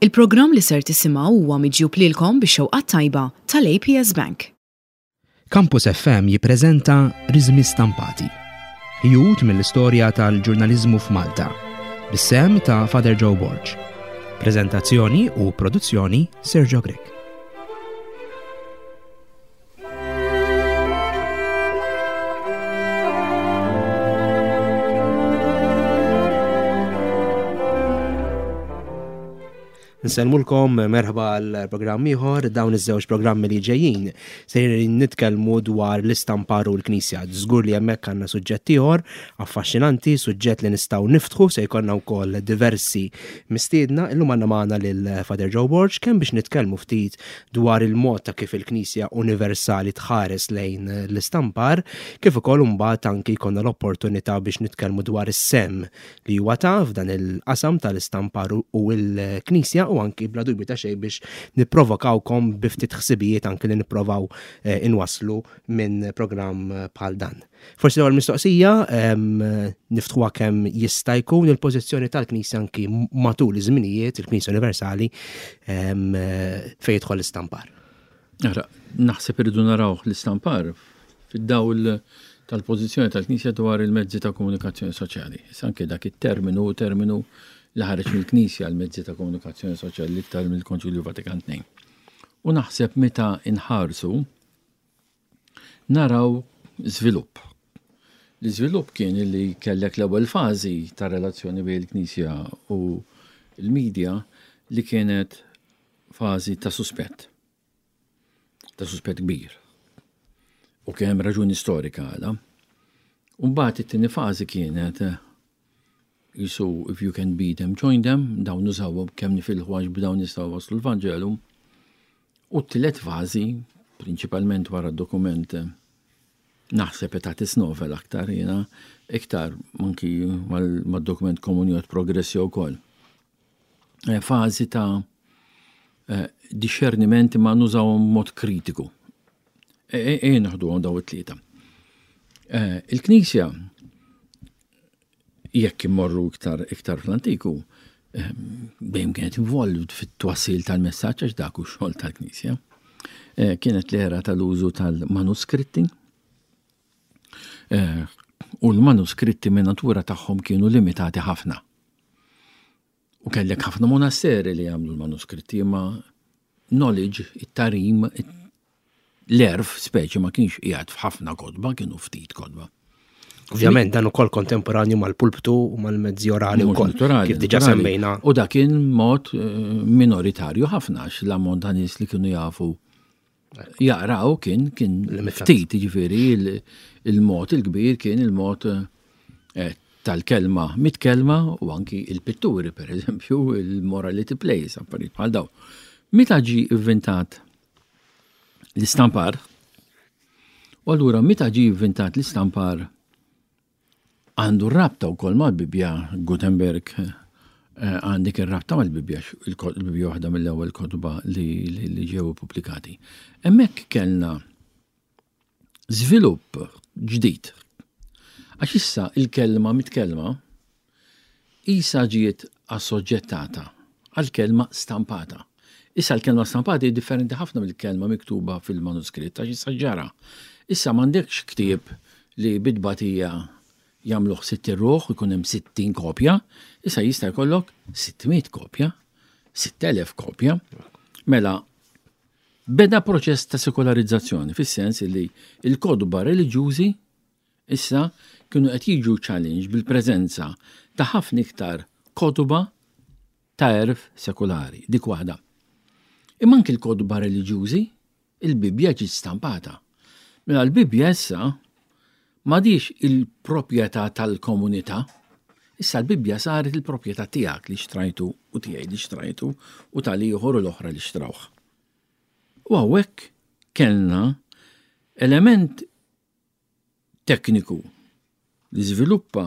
Il-programm li ser tisimgħu huwa miġjub lilkom bix-xewqa t-tajba tal-APS Bank. Campus FM jippreżenta Riżmi Stampati. Ħjut mill-istorja tal-ġurnaliżmu f'Malta. Bis-sehem ta' Father Joe Borg. Preżentazzjoni u produzzjoni Sergio Grech. Nsellmulkom merħba għal programm ieħor dawn iż-żewġ programmi li ġejjin sejrin nitkellmu dwar l-istampar u l-Knisja. Żgur li hemmhekk għandna suġġett ieħor affaxxinanti, suġġett li nistgħu niftħu se jkollna wkoll diversi mistiedna. Illum għandna magħna lil Father Joe Borg kemm biex nitkellmu ftit dwar il-mod ta' kif il-Knisja Universali tħares lejn l-istampar, kif ukoll imbagħad anki jkollna l-opportunità biex nitkellmu dwar is-sehem li huwa ta f'dan il-qasam tal-istampar u l-Knisja u anki bla dubju ta' xejn biex nipprovokawkom bi ftit ħsibijiet anki li nipprovaw eh, inwasslu minn programm bħal dan. Forsi l-ewwel mistoqsija niftħuha kemm jista' jkun il-pożizzjoni tal-Knisja anki matul iż-żminijiet, il-Knisja Universali fejn jidħol l-istampar. Ara, naħseb irridu naraw l-istampar fid-dawl tal-pożizzjoni tal-Knisja dwar il-mezzi ta' komunikazzjoni soċjali. Issa anke dak it-terminu terminu li ħareġ mill-Knisja l-mezzi ta' komunikazzjoni soċjali l-iktar mill-Konċilju Vatikan II. U naħseb meta inħarsu naraw żvilupp. L-iżvilupp kien li kellek l-ewwel fażi ta' relazzjoni bejn il-Knisja u l-medja li kienet fażi ta' suspett. Ta' suspett kbir. U kien hemm raġuni storika għala. U mbagħad it-tieni fażi kienet jisu if you can beat them, join them, dawn nużawhom kemm nifilħu għax b'dawn nistgħu waslu l-Vanġelu. U t-tielet fażi, prinċipalment wara d-dokument naħseb Aetatis Novel aktar jiena, iktar anki mad-dokument Communio et Progressio wkoll. Eh, fażi ta' eh, discerniment ma nużawhom mod kritiku. E, e, e naħdu daw it-tlieta. Eh, il-Knisja jekk immorru iktar iktar fl-antiku, ehm, dejjem kienet involved fit-twassil tal-messaġġ għax dak hu xogħol tal-Knisja. Eh, kienet l-era tal-użu tal-manuskritti. Eh, u l-manuskritti minn natura tagħhom kienu limitati ħafna. U kellek ħafna monasteri li jagħmlu l-manuskritti imma knowledge, it-tarim, l-erf speċi ma kienx qiegħed f'ħafna kotba, kienu ftit kotba. Ovvjament dan ukoll kontemporanju mal-pulptu u mal-mezzi orali wkoll. Kif diġà semmejna. U dak kien mod eh, minoritarju ħafna għax l-ammont ta' nies li kienu jafu jaqraw kien kien ftit, jiġifieri il-mod il-kbir kien il-mod eh, tal-kelma mit-kelma u anki il-pitturi, per eżempju, il-morality plays, affarijiet bħal daw. Meta ġi inventat l-istampar, u allura meta ġi inventat l-istampar Għandu rabta wkoll mal-Bibbja, Gutenberg eh, għandik ir-rabta mal-Bibbja, il-Bibbja waħda mill-ewwel kotba li ġew pubblikati. Hemmhekk kellna żvilupp ġdid. Għax issa il-kelma mit-kelma isa ġiet assoġġettata għal-kelma stampata. Issa l-kelma stampata hi differenti ħafna mill-kelma miktuba fil-manuskritt għax issa ġara. Issa m'għandekx ktieb li bi tbatija jagħmluh 60 ruħ u jkun hemm 60 kopja, issa jista' jkollok 600 kopja, 6000 kopja. Mela beda proċess ta' sekolarizzazzjoni fis-sens li l-kotba reliġjużi issa kienu qed jiġu challenge bil-preżenza ta' ħafna iktar kotba ta' għerf sekulari, dik waħda. Imma anki l-kotba reliġjużi, il-Bibbja ġiet stampata. Mela l-Bibbja issa m'għadhiex il-proprjetà tal-komunità, issa l-Bibbja saret il-proprjetà tiegħek li xtrajtu u tiegħi li xtrajtu u tal-ieħor u l-oħra li xtrawh. U hawnhekk kellna element tekniku li żviluppa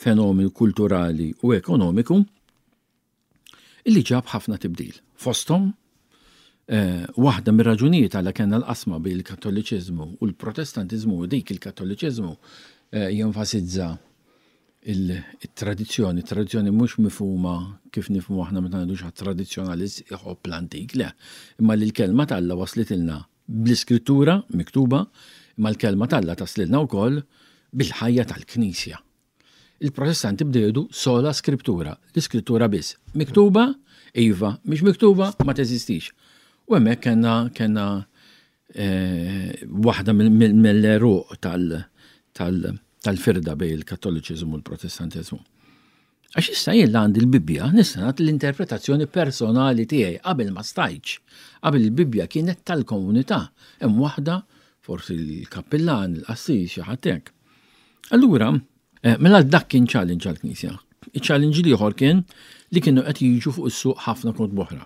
fenomenu kulturali u ekonomiku illi ġab ħafna tibdil. Fosthom, eh, waħda mir-raġunijiet għala kellna l-qasma bejn il-Kattoliċiżmu u l-Protestantiżmu u dik il-Kattoliċiżmu eh, jenfasizza Il-tradizzjoni, tradizzjoni mhux mifhuma kif nifhmu aħna meta ngħidu xi tradizzjonalist iħobb l-antik, le, imma li l-kelma t'Alla waslitilna bl-iskrittura miktuba, imma l-kelma t'Alla taslilna wkoll bil-ħajja tal-Knisja. Il-Protestanti bdew jgħidu sola scriptura, l-iskrittura biss. Miktuba, iva, mhix miktuba, ma teżistix. U hemmhekk kellna kellna eh, waħda mill-eruq tal-firda bejn il-Kattoliċiżmu u l-Protestantiżmu. Għax issa jien għandi l-Bibbja nista' nagħti l-interpretazzjoni personali tiegħi qabel ma stajtx. Qabel il-Bibbja kienet tal-komunità, hemm waħda forsi l-kappillan, il-qassis, xi ħadd hekk. Allura, eh, mela dak kien challenge għall-Knisja. Il-challenge l-ieħor kien li kienu qed jiġu fuq is-suq ħafna kont oħra.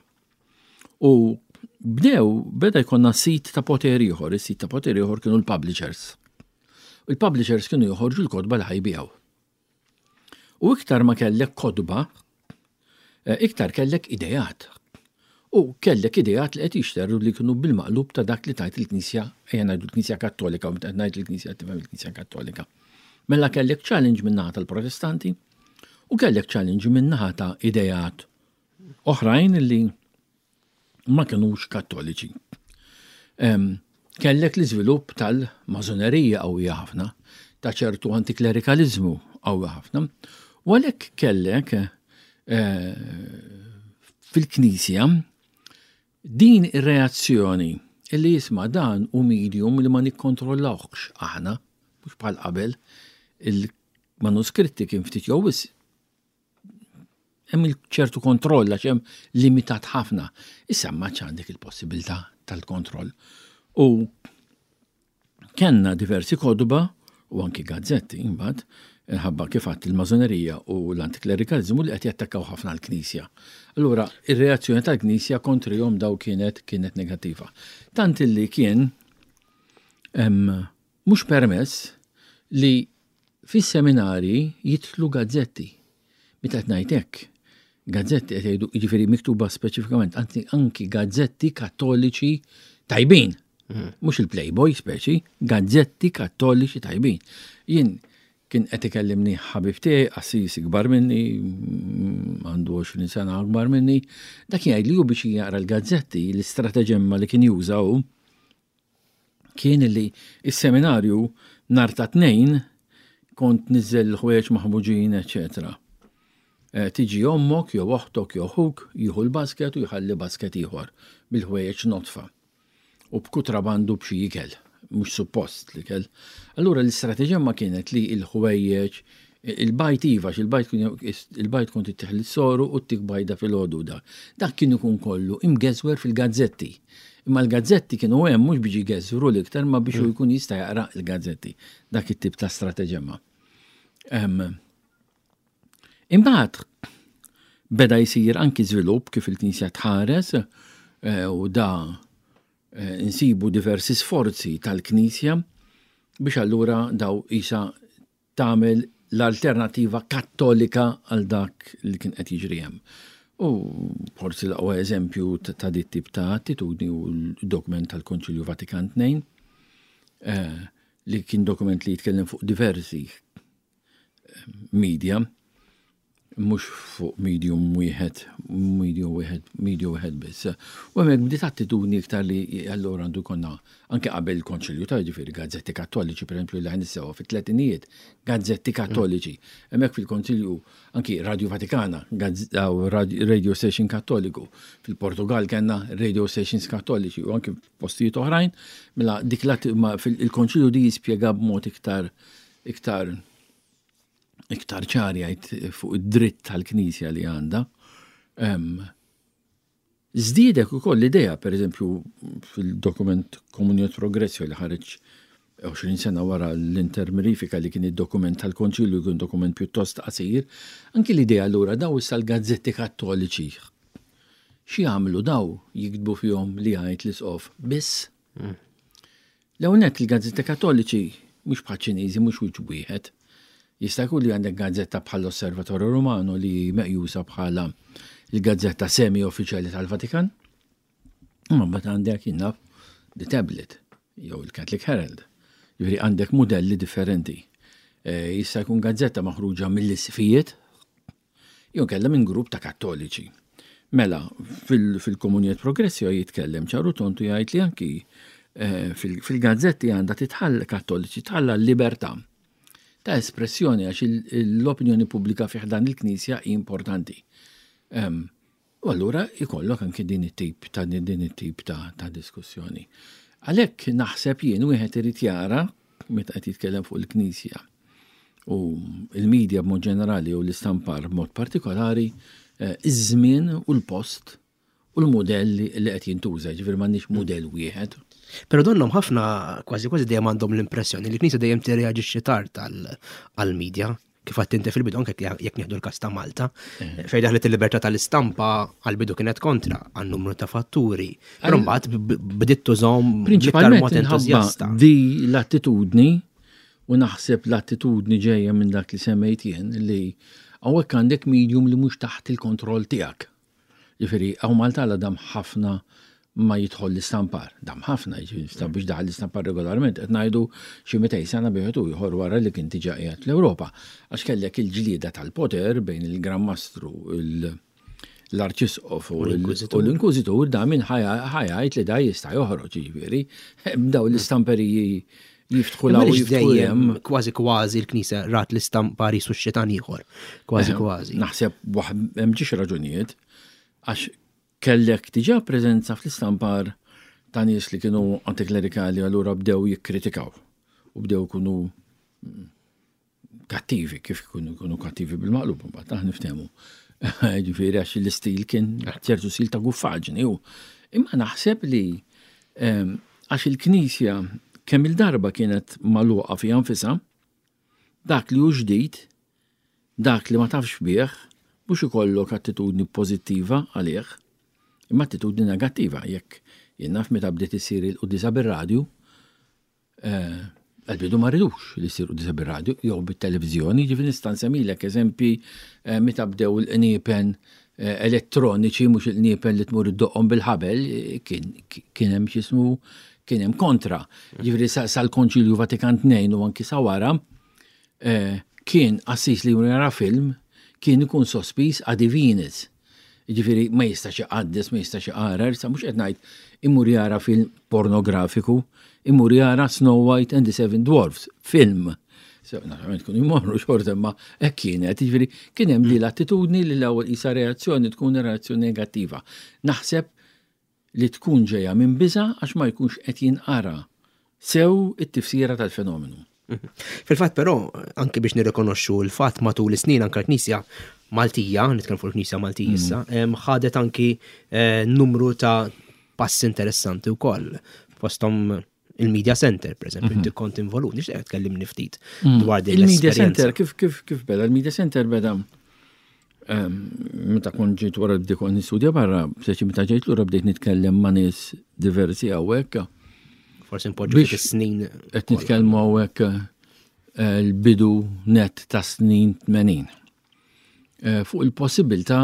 U bdew beda jkollna sit ta' poter ieħor, is-sit ta' poter ieħor kienu l-publishers. U l-publishers kienu joħorġu l-kotba li ħajbijaw. U iktar ma kellek kotba, eh, iktar kellek idejat. U kellek idejat li qed jixterru li kienu bil-maqlub ta' dak li tajt il-Knisja, ejja ngħidu l-Knisja Kattolika, u meta ngħid il-Knisja tifhem il-Knisja Kattolika. Mela kellek challenge min-naħa tal-Protestanti u kellek challenge min-naħa ta' idejat oħrajn li ma kinux kattoliċi. Kellek l-iżvilupp tal-mażonerija qawwija ħafna, ta' ċertu antiklerikaliżmu qawwi ħafna, u għalhekk kellek eh, fil-Knisja din ir-reazzjoni illi jisma' dan u medium li ma nikkontrollawhx aħna, mhux bħal qabel, il-manuskritti kien ftit jew wisq Hemm ċertu kontroll għax hemm limitat ħafna. Issa ma għandek il-possibilità tal-kontroll. U kellna diversi kodba u anki gazzetti imbagħad inħabba kif għadt il-mażonerija u l-antiklerikalizmu li qed jattakkaw ħafna l-Knisja. Allura, ir-reazzjoni tal-Knisja kontrihom daw kienet kienet negattiva. Tant illi kien mhux permess li fis-seminarji jidħlu gazzetti. Meta qed ngħid hekk, gazzetti qed jgħidu jiġifieri miktuba speċifikament, anzi anki gazzetti kattoliċi tajbin. Mm. Mhux il-Playboy speċi, gazzetti kattoliċi tajbin. Jien kien qed ikellimni ħabib tiegħi, qassis ikbar minni, mm, għandu 20 sena akbar minni, dak jgħid li hu biex jaqra l-gazzetti, l-istrateġemma li kien juża hu, kien li s-seminarju nhar ta' tnejn kont niżel l-ħwejjeġ maħmuġin, eċetera. Eh, tiġi ommok jew oħtok jew ħuk jieħu l-basket u jħalli basket ieħor bil-ħwejjeġ notfa u b'kutrabandu b'xi ikel, mhux suppost l-ikel. Allura l-istrateġija ma kienet li l-ħwejjeġ Il-bajd iva, il-bajd kont ittih lis-soru u ttik bajda filgħodu dak. Dak kien ikun kollu imgeżwer fil-gazzetti. Imma l-gazzetti kienu hemm mhux biex jgeżwru l-iktar ma biex hu jkun jista' jaqra l-gazzetti. Dak it-tip ta' strateġemma. Imbagħad beda jsir anki żvilupp kif il-Knisja tħares eh, u da eh, nsibu diversi sforzi tal-Knisja biex allura daw isa tagħmel l-alternattiva kattolika għal dak li kien qed jiġri hemm. U forsi l-aqwa eżempju ta' dit tip ta' attitudni u l-dokument tal-Konċilju Vatikan II, eh, li kien dokument li jitkellem fuq diversi eh, media, mhux fuq medium wieħed, medium wieħed, medium wieħed biss. U hemmhekk bdiet attitudni iktar li allura għandu jkollna anke qabel il-Konċilju ta' ġifieri gazzetti kattoliċi, pereżempju li ħanissewa fit-tletinijiet, gazzetti kattoliċi. Hemmhekk fil-Konċilju anki Radio Vatikana, radio station kattoliku. Fil-Portugal kellna radio stations kattoliċi u anki postijiet oħrajn, mela dik il-Konċilju di jispjega b'mod iktar iktar iktar ċar jgħid fuq id-dritt tal-Knisja li għandha. Żdiedek ukoll l-idea, per eżempju, fil-dokument Communio Progressio li ħareġ 20 sena wara l-intermirifika li kien id-dokument tal-Konċilju kien dokument pjuttost qasir, anki l-idea allura daw issa l-gazzetti kattoliċi. Xi jagħmlu daw jiktbu fihom li jgħid l-isqof biss. Mm. L-ewwel nett il-gazzetti Kattoliċi mhux bħaċ-Ċiniżi mhux wiċċ wieħed. Jista' jkun li għandek gazzetta bħall-Osservatore Romano li hi meqjusa bħala l-gazzetta semi-uffiċjali tal-Vatikan. Imma mbagħad għandek jien naf The Tablet jew il-Catholic Herald. Jiġifieri għandek mudelli differenti. Eh, jista' jkun gazzetta maħruġa mill-isfijiet, jew kellha minn grupp ta' kattoliċi. Mela, fil-Komunjiet Progressio jitkellem ċaru tontu jgħid li anki eh, fil-gazzetti għandha titħall kattoliċi tħalla l-libertà ta' espressjoni għax l-opinjoni pubblika fih dan il-Knisja hi importanti. U allura jkollok anki din it-tip ta' din it-tip ta', ta diskussjoni. Għalhekk naħseb jien wieħed irid jara meta qed jitkellem fuq il-Knisja u il-medja b'mod ġenerali u l-istampar b'mod partikolari, eh, iż-żmien u l-post u l-mudell li qed jintuża, ġifieri m'għandniex mudell wieħed. Però donnhom ħafna kważi kważi dejjem għandhom l-impressjoni li l-Knisja dejjem tirreaġixxi tard għall-medja kif għadt inti fil-bidu anke jekk nieħdu l-każ ta' Malta, eh. fejn daħlet il-libertà tal-istampa għall-bidu kienet kontra għal numru ta' fatturi. Però mbagħad bdiet tużhom bl-iktar mod entużjasta. Di l-attitudni u naħseb l-attitudni ġejja minn dak li semmejt jien li hawnhekk għandek medium li mhux taħt il-kontroll tiegħek. Ġifieri, hawn Malta għala dam ħafna ma jidħol l-istampar. Dam ħafna, ġifieri biex daħal l-istampar regolarment, qed ngħidu xi 200 sena bieħed u ieħor wara li kien diġà qiegħed fl-Ewropa. Għax kellek il-ġlieda tal-poter bejn il-Gran Mastru, l-Arċisqof u l-Inkwiżitur da min ħajajt li da jista' joħroġ, ġifieri, daw l-istamperiji jiftħu l dejjem kważi kważi l-Knisja rat l-istampar jisu xitan ieħor. Kważi eh, kważi. Naħseb hemm ġiex raġunijiet għax kellek diġà preżenza fl-istampar ta' nies li kienu antiklerikali allura bdew jikkritikaw u bdew kunu kattivi, kif ikunu jkunu kattivi bil-maqlub, mbagħad aħna niftehmu. Ġifieri għax l-istil kien ċertu stil ta' guffaġni u imma naħseb li ehm, għax il-Knisja kemm il-darba kienet magħluqa fiha nfisha, dak li hu ġdid, dak li ma tafx bih, mhux ikollok attitudni pożittiva għalih, imma attitudni negattiva. Jekk jien naf meta bdiet issir il-quddiesa bir-radju, Għal-bidu ma ridux li ssir quddiesa bir-radju jew bit-televiżjoni, ġifieri nista' nsemmilek eżempji eh, meta bdew il-qniepen eh, elettroniċi mhux il-qniepen li tmur iddoqqhom bil-ħabel, eh, kien hemm x'ismu kien hemm kontra. Ġifieri sal-Konċilju Vatikan II u anki sa wara kien qassis li jara film kien ikun sospiż a divinis. Jiġifieri ma jistax iqaddes, ma jistax iqarar, sa mhux qed ngħid imur jara film pornografiku, imur jara Snow White and the Seven Dwarfs, film. So, naturalment kunu jmorru xorta imma hekk kienet, jiġifieri kien hemm li l-attitudni li l-ewwel qisha reazzjoni tkun reazzjoni negattiva. Naħseb li tkun ġejja minn biża' għax ma jkunx qed jinqara sew it-tifsira tal-fenomenu. Mhm. Fil-fatt però, anke biex nirrikonoxxu l-fatt matul is-snin anke l-Knisja Maltija, nitkellem fuq il-Knisja Maltija mhm. issa, ħadet anki eh, numru ta' passi interessanti wkoll. Fosthom il-Media Center, per eżempju, mhm. inti kont involut, nixtieq tkellimni ftit mm. dwar din Il-Media Center, kif kif kif beda? Il-Media Center beda ehm, meta kont ġejt wara bdejt kont nistudja barra, seċi meta ġejt lura bdejt nitkellem ma' nies diversi hawnhekk. Forsi npoġġu ftit is-snin. Qed nitkellmu hawnhekk eh, l-bidu net ta' snin 80. Eh, fuq il-possibilità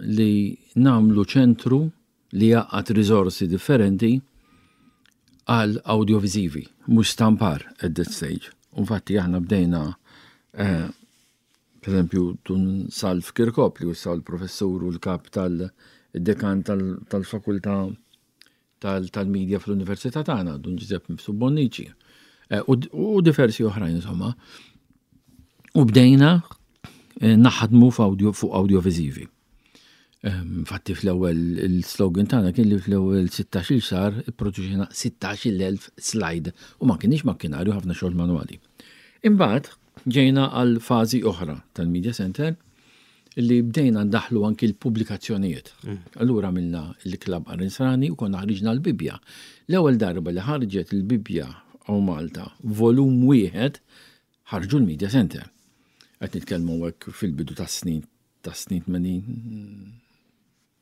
li namlu ċentru li jgħaqqad riżorsi differenti għal audiovisivi, mhux stampar at that stage. Infatti aħna bdejna eh, per eżempju, Dun Salv Kirkop li issa l-professur u l-kap tal-dekan tal-fakultà tal-media fl-Università tagħna, Dun Giuseppe Mifsud Bonnici, eh, u diversi oħrajn insomma. U bdejna eh, naħdmu fuq audiovisivi. Infatti fl-ewwel il-slogan tagħna kien li fl-ewwel 16-il xahar ipproduċejna 16,000 slide u ma kienx makkinarju ħafna xogħol manwali. Imbagħad ġejna għal fażi oħra tal-Media Center li bdejna ndaħlu anki l-pubblikazzjonijiet. Mm. Allura għamilna l-Klab Arinsrani u konna ħriġna l-Bibbja. L-ewwel darba li ħarġet il-Bibbja hawn Malta, volum wieħed, ħarġu l-Media Center. Qed nitkellmu hekk fil-bidu tas-snin tas-snin 80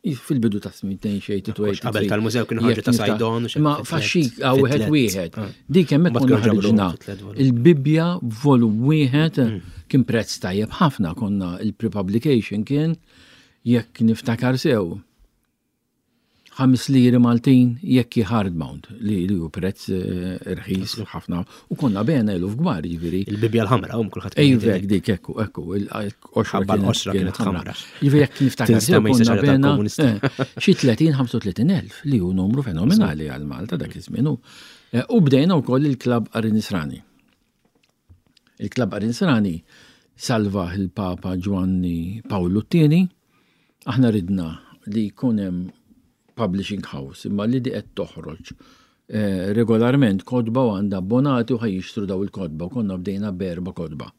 fil-bidu ta' snin 82. Qabel tal-mużew kienu ħarġu ta' Sajdon. Ma faxxik għaw wieħed wieħed. Ah. Dik hemmhekk konna ħarġna. Il-Bibbja volum wieħed mm. kien prezz tajjeb ħafna konna il-pre-publication kien jekk niftakar sew. 5 liri Maltin jekk hi hardbound li li hu prezz eh, irħis ħafna u konna bena eluf kbar jiġifieri. Il-Bibja l-ħamra um kulħadd. Ejvek dik ekku ekku il-qoxra kienet kienet ħamra. Jiġifieri jekk niftakar konna bena eh, xi 30-35 elf li hu numru fenomenali għal Malta dak iż-żmien. Eh, u bdejna wkoll il-klabb Qari Nisrani. Il-klabb Qari Nisrani salva il-Papa Ġwanni Pawlu t-tieni Aħna ridna li jkun hemm publishing house imma li di qed toħroġ eh, regolarment kotba u għandha abbonati u ħaj jixtru daw il-kotba u konna bdejna b'erba' kotba.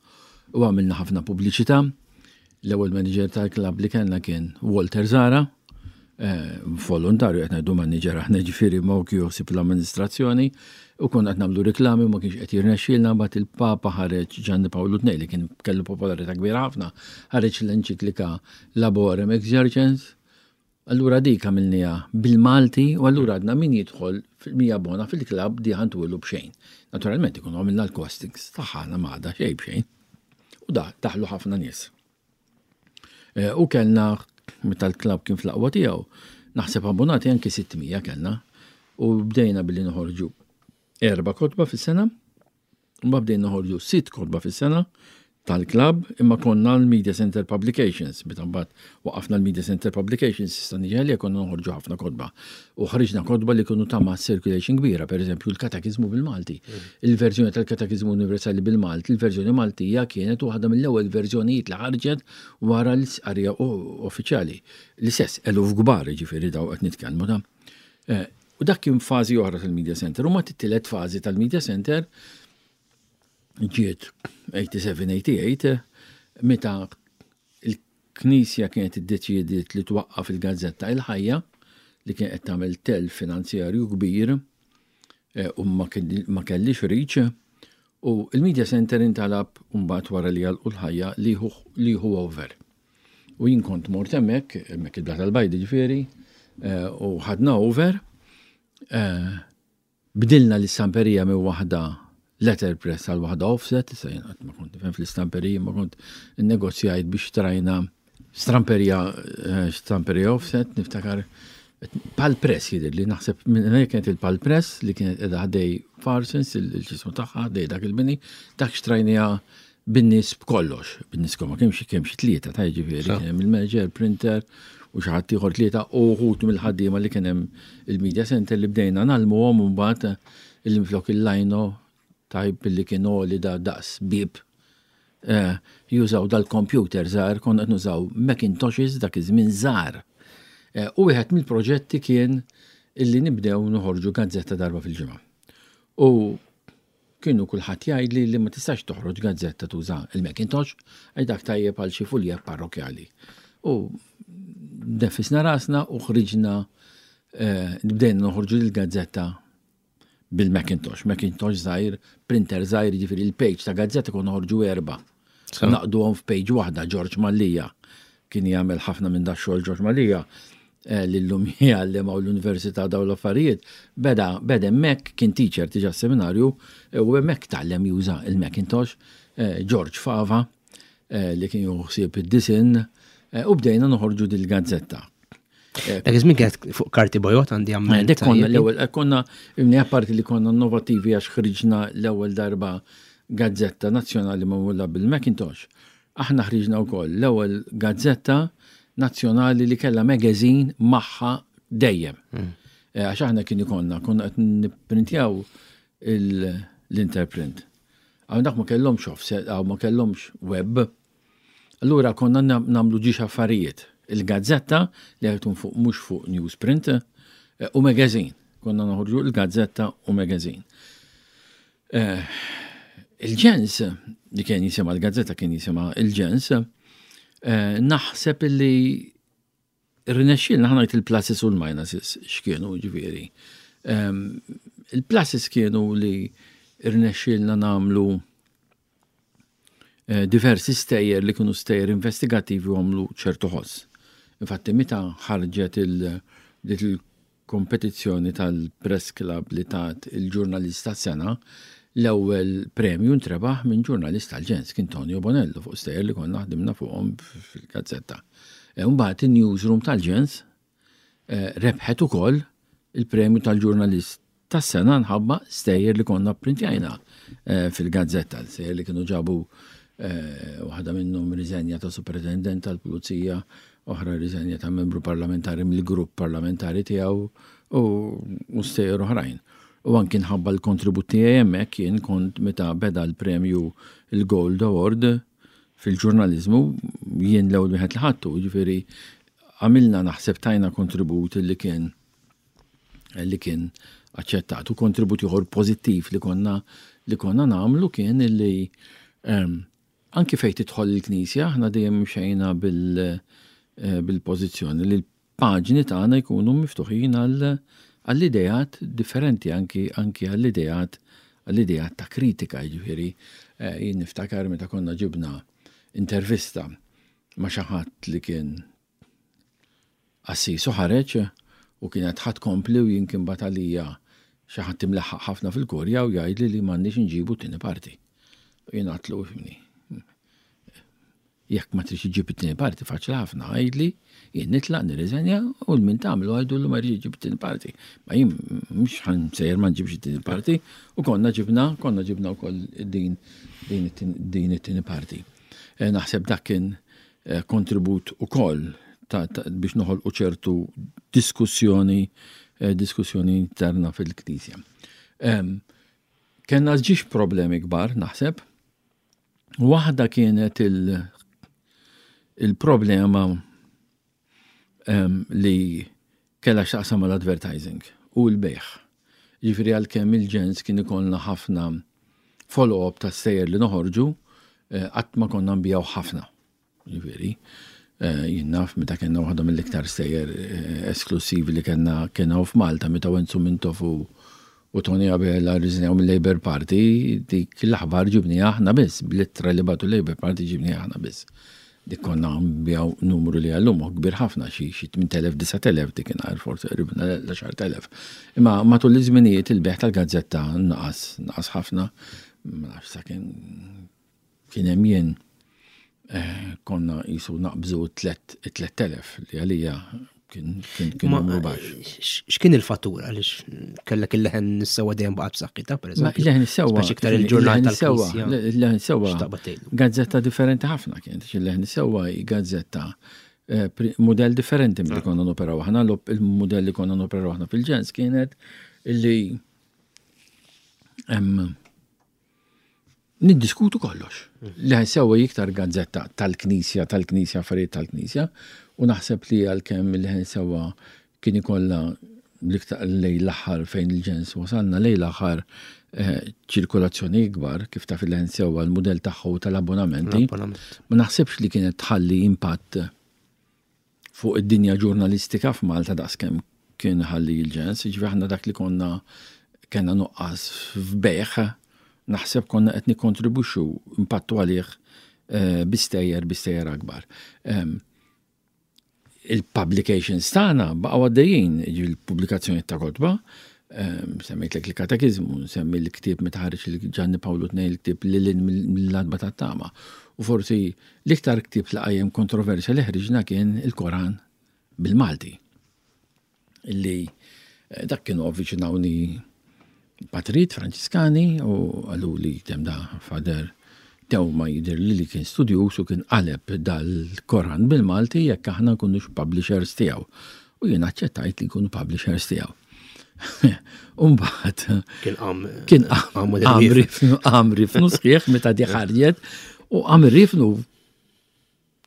U għamilna ħafna pubbliċità. L-ewwel manager tal-klabb li kellna kien Walter Zara, eh, volontarju qed ngħidu manager aħna ġifieri ma joħsib l-amministrazzjoni u konna qed nagħmlu riklami ma kienx qed jirnexxielna mbagħad il-Papa ħareġ Ġanni Pawlu II li kien kellu popolarità kbira ħafna, ħareġ l-enċiklika Laborem Exercens, allura dik għamilniha bil-Malti u allura għadna min jidħol min jabbona fil-klabb di ħantuhilu b'xejn. Naturalment ikunu għamilna l-costings tagħha ma għadha xejn b'xejn. U da daħlu ħafna nies. Eh, u kellna meta l-klabb kien fl-aqwa tiegħu, naħseb abbonati anki 600 kellna u bdejna billi noħorġu erba' kotba fis-sena Mbagħad bdejna noħorġu sitt kotba fis-sena tal-klabb imma konna l-Media Center Publications. Meta mbagħad waqafna l-Media Center Publications, issa niġi għalija konna noħorġu ħafna kotba. U ħriġna kotba li kienu ta' mass circulation kbira, per eżempju l-Katakizmu bil-Malti. Mm. Il-verżjoni tal-Katakizmu Universali bil-Malti, il-verżjoni Maltija kienet waħda mill-ewwel verżjonijiet li ħarġet wara l-isqarija uffiċjali. L-istess eluf kbar ġifieri daw qed nitkellmu ta' eh, U dak kien fażi oħra tal-Media Center. U mat it-tielet fażi tal-Media Center ġiet 87-88 meta il-Knisja kienet iddeċiediet li twaqqaf il-gazzetta Il-Ħajja li kien qed tagħmel telf finanzjarju kbir eh, u ma kellix reach u il-Media Center intalab mbagħad wara li għalqu l-ħajja li jieħu over. U jien kont mort hemmhekk, hemmhekk il-Blat tal-Bajd ġifieri, eh, u ħadna over. Eh, bdilna l-istamperija minn waħda letterpress għal waħda offset, issa jien qatt ma kont nifhem fl-istamperija, ma kont innegozjajt biex trajna stramperija, eh, stamperija offset, niftakar Pal Press jidher li naħseb minn kienet il-Pal Press li kienet qiegħda ħdej Farsons il-ġismu tagħha ħdej dak il-bini, dak xtrajnija bin-nies b'kollox, bin-nies ma kienx kemm xi tlieta ta' jiġifieri, kien hemm il-manager, printer u xi ħadd ieħor tlieta u wħud mill-ħaddiema li kien hemm il-media center li bdejna nagħlmuhom u mbagħad il-minflok il-lajno tajb li kien għoli da daqs bieb eh, jużaw dal-computer żgħar, konna qed nużaw Macintoshes dak iż-żmien żgħar. Eh, u wieħed mill-proġetti kien illi nibdew noħorġu gazzetta darba fil-ġimgħa. U Kienu kulħadd jgħidli li ma tistax toħroġ gazzetta tuża il-Macintosh għax dak tajjeb għal xi fuljet parrokjali. U neffisna rasna u ħriġna eh, bdejna noħorġu l-gazzetta bil-Macintosh. Macintosh żgħir, printer żgħir, jiġifieri il-page ta' gazzetta konna noħorġu erba'. Naqduhom f'page waħda, George Mallia kien jagħmel ħafna minn da xogħol George Mallia eh, li llum jgħallem hawn l-università dawn l-affarijiet, beda beda hemmhekk kien teacher diġà seminarju eh, u hemmhekk tgħallem juża il-Macintosh, eh, George Fava li kien juħsib id-disin u bdejna noħorġu dil-gazzetta. Dak iż-żmien kienet fuq karti bojot għandi għamil. Dik konna l-ewwel konna imni apparti li konna innovattivi għax ħriġna l-ewwel darba gazzetta nazzjonali magħmula bil-Macintosh. Aħna ħriġna wkoll l-ewwel gazzetta nazzjonali li kellha magazine magħha dejjem. Hmm. Eh, għax aħna kien ikonna, konna qed nipprintjaw l-interprint. Għaw dak ma kellhomx offset, għaw ma kellhomx web. Allura konna namlu ġiex affarijiet. Il-gazzetta li għajtun fuq mhux fuq newsprint eh, u magazine. Konna noħorġu il-gazzetta u magazine. Eh, il-ġens, li kien jisima l-gazzetta kien jisima il-ġens, eh, naħseb li rnexxilna ħanajt il-pluses u l-minuses x'kienu ġifieri. Ehm, il-pluses kienu li rnexxilna namlu eh, diversi stejjer li kienu stejjer investigattivi u għamlu ċertu ħoss. Infatti meta ħarġet il kompetizzjoni tal-Press Club li tat il-ġurnalist tas-sena, l-ewwel premju ntrebaħ minn ġurnalist tal-ġens, kien Tonio Bonello fuq stejjer li konna ħdimna fuqhom fil-gazzetta. E, mbagħad in-newsroom tal-ġens eh, rebħet ukoll il-premju tal-ġurnalist tas-sena nħabba stejjer li konna printjajna eh, fil-gazzetta, stejjer li kienu ġabu eh, waħda minnhom riżenja ta' superintendent tal-pulizija, oħra riżenja ta' membru parlamentari mill-grupp parlamentari tiegħu u stejjer oħrajn. U anki nħabba l-kontribut tiegħi hemmhekk jien kont meta beda l-premju il-Gold Award fil-ġurnaliżmu jien l-ewwel wieħed li ħadtu, jiġifieri għamilna naħseb tajna kontribut li kien li kien aċċettat u kontribut ieħor pożittiv li konna li konna nagħmlu kien li ehm, anki fejn tidħol il-Knisja aħna dejjem mxejna bil eh, bil-pożizzjoni li l-paġni tagħna jkunu miftuħin għall-ideat differenti anki anki għall-ideat għall-ideat ta' kritika jiġifieri eh, jien niftakar meta konna ġibna intervista ma' xi ħadd li kien qassis u ħareġ u kienet ħa tkompli u jien kien bagħat għalija xi ħadd imlaħħaq ħafna fil-kurja u jgħidli li m'għandniex inġibu t-tieni parti. U jien għadtlu ifhimni. Jekk ma tridx iġġib it-tieni parti faċli ħafna għidli, jien nitlaq nirriżenja u l-min tagħmlu għidulu ma jridx iġib it-tieni parti. Ma jien mhux ħan sejjer ma nġibx it-tieni parti u konna ġibna, konna ġibna wkoll din din it-tieni parti. Eh, naħseb dak kien eh, kontribut ukoll biex noħolqu ċertu diskussjoni eh, diskussjoni interna fil-Knisja. Kenna ġiex problemi kbar, naħseb. Waħda kienet il-problema li kellha x'taqsam mal-advertising u l-bejgħ. Jiġifieri għalkemm il-ġens kien ikollna ħafna follow-up ta' stejjer li noħorġu, eh, qatt ma konna nbijaw ħafna. Jiġifieri, eh, jien naf meta kellna waħda mill-iktar stejjer eh, esklusivi li kellna kien f'Malta meta Wenzu Mintoff u u Tony Abela rriżenjaw mill-Labour Party, dik l-aħbar ġibniha aħna biss, bl-ittra li bagħtu l-Labour Party ġibniha aħna biss. Dik konna nbiegħu numru li għallum hu kbir ħafna, xi 8,000, 9,000 dik inhar forsi qribna l-10,000. Imma matul iż-żminijiet il-bejgħ tal-gazzetta naqas, naqas ħafna, ma nafx sakemm kien hemm jien eh, konna jisu naqbżu 3000 li għalija kien kien numru baxx. X'kien il-fattur għaliex kellek il-leħen is-sewwa dejjem baqgħet b'saħħitha pereżempju. Il-leħen is-sewwa. Speċi iktar il-ġurnal tal-Knisja. Il-leħen is-sewwa. Gazzetta differenti ħafna kien, il-leħen is-sewwa gazzetta eh, modell differenti milli konna noperaw aħna, il-modell li konna noperaw aħna fil-ġens kienet illi niddiskutu kollox. Li sewa iktar gazzetta tal-Knisja, tal-Knisja, affarijiet tal-Knisja, u naħseb li għalkemm li sewa kien ikollha l-iktar lej l-aħħar fejn il-ġens wasalna lej l-aħħar eh, ċirkolazzjoni ikbar kif taf il-ħen sewa l-mudell tagħhu tal-abbonamenti. Ma naħsibx li kienet tħalli impatt fuq id-dinja ġurnalistika f'Malta daqskemm kien ħalli l-ġens, jiġifieri aħna dak li konna kellna nuqqas f'bejgħ, naħseb konna qed nikkontribwixxu impattu għalih eh, bi stejjer bi stejjer akbar. Ehm, il-publications tagħna baqgħu għaddejjin, il-pubblikazzjoni ta' kotba, ehm, semmejtlek il-katekiżmu, nsemmi l-ktieb meta ħareġ il-Ġanni Pawlu tnejn il-ktieb lil mill-adba tat-tama. U forsi L-iktar ktieb li qajjem kontroversja li ħriġna kien il-Koran bil-Malti. Illi eh, dak kienu avviċinawni patrijiet Franċiskani u għalu li tem da fader Teuma jidher li li kien studjuż u kien qaleb dal-Koran bil-Malti jekk aħna nkunux publishers tiegħu. U jien aċċettajt li nkunu publishers tiegħu. Umbat. Kien qam. Kien qam. Qam rifnu sħiħ meta di ħarġet u qam rifnu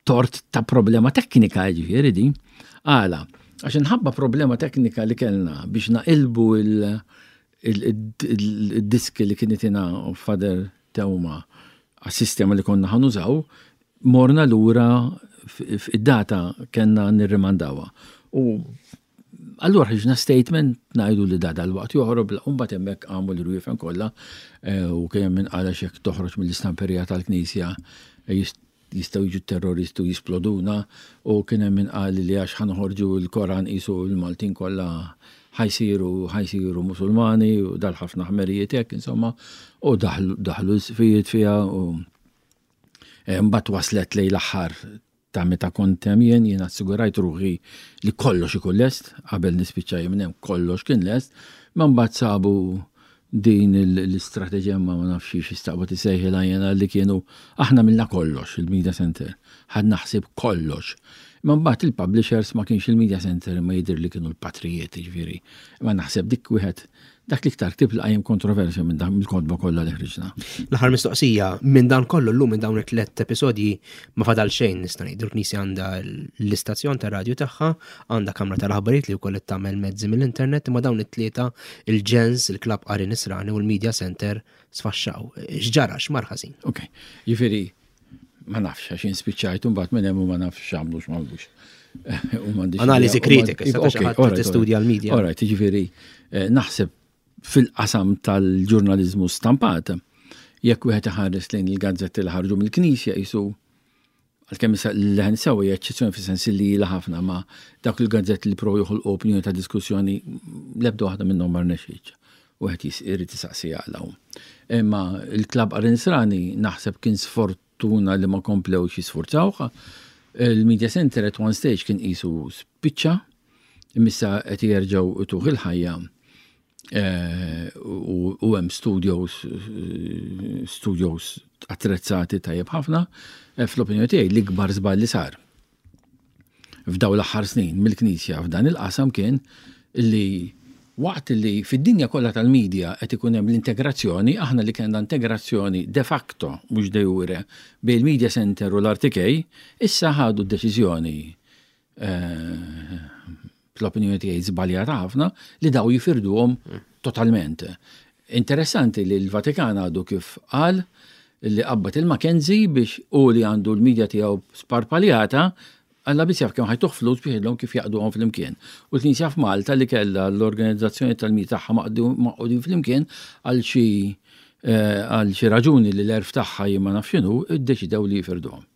tort ta' problema teknika ġifieri din. Għala, għax inħabba problema teknika li kellna biex naqilbu il-diski li kien itina Father Teuma għas-sistema li konna ħanużaw, morna lura id-data kellna nirrimandawha. U Allura ħriġna statement ngħidu li da dal-waqt joħrob, u mbagħad hemmhekk qamu l-irwiefen kollha eh, u kien hemm min qal għax jekk toħroġ mill-istamperija tal-Knisja eh, jistgħu jiġu terroristi u jisploduna u kien hemm min qal li għax ħanħorġu l-Koran qisu l-Maltin kollha ħajsiru ħajsiru Musulmani u dal ħafna ħmerijiet hekk insomma u daħlu daħlu l-sfijiet fiha u eh, mbagħad waslet lejn l-aħħar ta' meta kont hemm jien, jien assigurajt ruħi li kollox ikun lest, qabel nispiċċa jien minn hemm kollox kien lest, ma mbagħad sabu din l-istrateġemma ma nafx xi staqbad isejħilha jiena li kienu aħna minna kollox il-media center, ħadna ħsieb kollox. Imma mbagħad il-publishers ma kienx il-media center imma jidher li kienu l-patrijiet, jiġifieri. Imma naħseb dik wieħed dak l-iktar ktieb li qajjem kontroversja minn dak mill-kotba kollha li ħriġna. L-aħħar mistoqsija, minn dan kollu llum minn dawn it-tliet episodji ma fadal xejn nista' ngħidu l-Knisja għandha l-istazzjon ta' radju tagħha, għandha kamra tal-aħbarijiet li wkoll qed tagħmel mezzi mill-internet, imma dawn it-tlieta il-ġens, il-Klabb Qari Nisrani u l-Media Center sfaxxaw. X'ġara, x'mar ħażin? Ok, jiġifieri ma nafx għax jien spiċċajt u mbagħad minn hemm u ma nafx x'għamlu x'magħmlux. Analiżi kritika, tistudja l-media. All right, jiġifieri eh, naħseb fil-qasam tal-ġurnaliżmu stampat, jekk wieħed iħares lejn il-gazzetti li ħarġu mill-Knisja jisu għalkemm issa l-leħen sew hija eċċezzjoni fis-sens li ilha ħafna ma dawk il-gazzetti li provaw joħolqu opinjoni ta' diskussjoni l-ebda waħda minnhom ma rnexxietx. Wieħed irid isaqsi għala. Imma il-Klabb Qari Nisrani naħseb kien sfortuna li ma komplewx jisfurzawh. Il-Media Center at one stage kien qisu spiċċa, imma qed jerġgħu ituh il-ħajja eh, u hemm studios eh, studios attrezzati tajjeb ħafna. Eh, fl-opinjoni tiegħi l-ikbar żball li sar f'daw l-aħħar snin mill-Knisja f'dan il-qasam kien li waqt li fid-dinja kollha tal-medja qed ikun hemm l-integrazzjoni, aħna li kellna integrazzjoni de facto mhux de jure bejn il-Media Center u l-RTK, issa ħadu d-deċiżjoni eh, fl-opinjoni tiegħi żbaljata ħafna li daw jifirduhom totalment. Interessanti li l-Vatikan għadu kif qal li qabbad il-Mackenzie biex u li għandu l-medja tiegħu sparpaljata Alla biss jaf kemm ħajtuh flus biex jgħidlhom kif jaqduhom flimkien. U l-Knisja f'Malta li kellha l-organizzazzjoni tal-medja tagħha maqgħudin flimkien għal xi eh, għal xi raġuni li l-erf tagħha jien ma nafx x'inhu, iddeċidew li jifirduhom.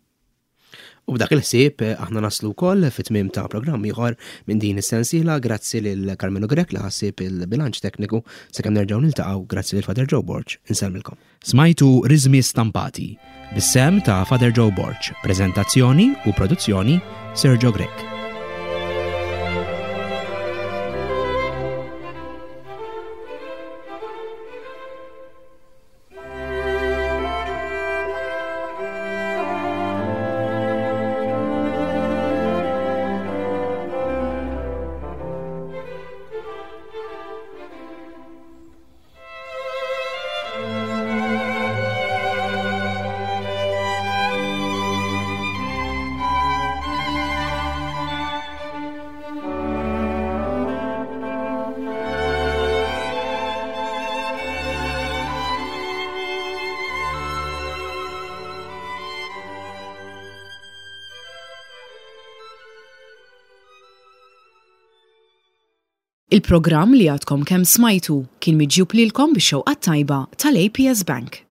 U b'dak il-ħsieb eh, aħna naslu wkoll fit-tmiem ta' programm ieħor minn din is-sensiela grazzi lil Carmelo Grech li ħassib il-bilanċ tekniku sakemm nerġgħu niltaqgħu grazzi lil Father Joe Borg. Insellmilkom. Smajtu Riżmi Stampati bis-sehem ta' Father Joe Borg, preżentazzjoni u produzzjoni Sergio Grech. Il-programm li għadkom kemm smajtu kien miġjub lilkom bix-xewqa t-tajba tal-APS Bank.